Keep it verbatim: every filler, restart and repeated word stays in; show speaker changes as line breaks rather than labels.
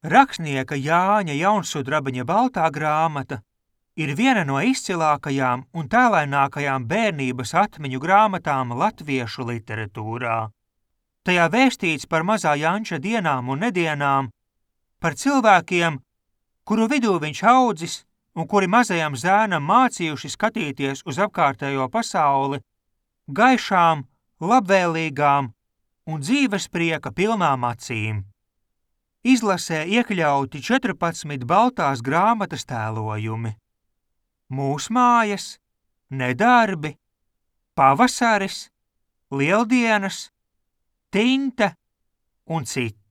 Rakstnieka Jāņa Jaunsudrabiņa baltā grāmata ir viena no izcilākajām un tēlainākajām bērnības atmiņu grāmatām latviešu literatūrā. Tajā vēstīts par mazā Janča dienām un nedienām, par cilvēkiem, kuru vidū viņš audzis un kuri mazajam zēnam mācījuši skatīties uz apkārtējo pasauli gaišām, labvēlīgām un dzīvesprieka pilnām acīm. Izlasē iekļauti četrpadsmit baltās grāmatas tēlojumi. Mūsmājas, nedarbi, pavasaris, lieldienas, tinte un citi.